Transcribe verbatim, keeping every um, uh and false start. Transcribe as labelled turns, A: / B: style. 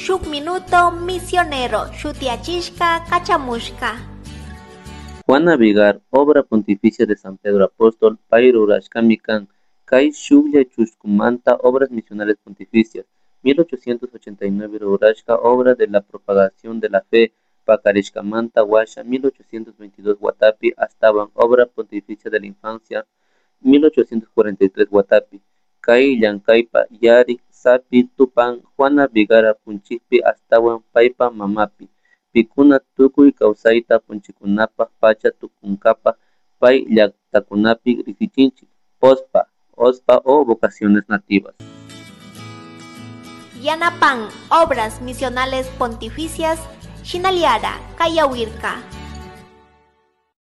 A: Shuk Minuto Misionero shutiyachishka kachamushka.
B: Juana Vigar, Obra Pontificia de San Pedro Apóstol, pay rurashkami kan, kay shuklla chuskumanta Obras Misionales Pontificias, mil ochocientos ochenta y nueve rurashka Obra de la Propagación de la Fe, pakarishkamanta washa mil ochocientos veintidós watapi ashtawan Obra Pontificia de la Infancia, mil ochocientos cuarenta y tres watapi, kay llankaypa yarik sapi tupan Juana Vigara punchikpi ashtawan paypa mamapi, pikuna tukuy kawsayta punchikunapak pacha tukunkapa pay llaktakunapi riksichinchik, P O S P A, O S P A o vocaciones nativas.
A: Yanapan Obras Misionales Pontificias, Shinaliara, Kayawirka.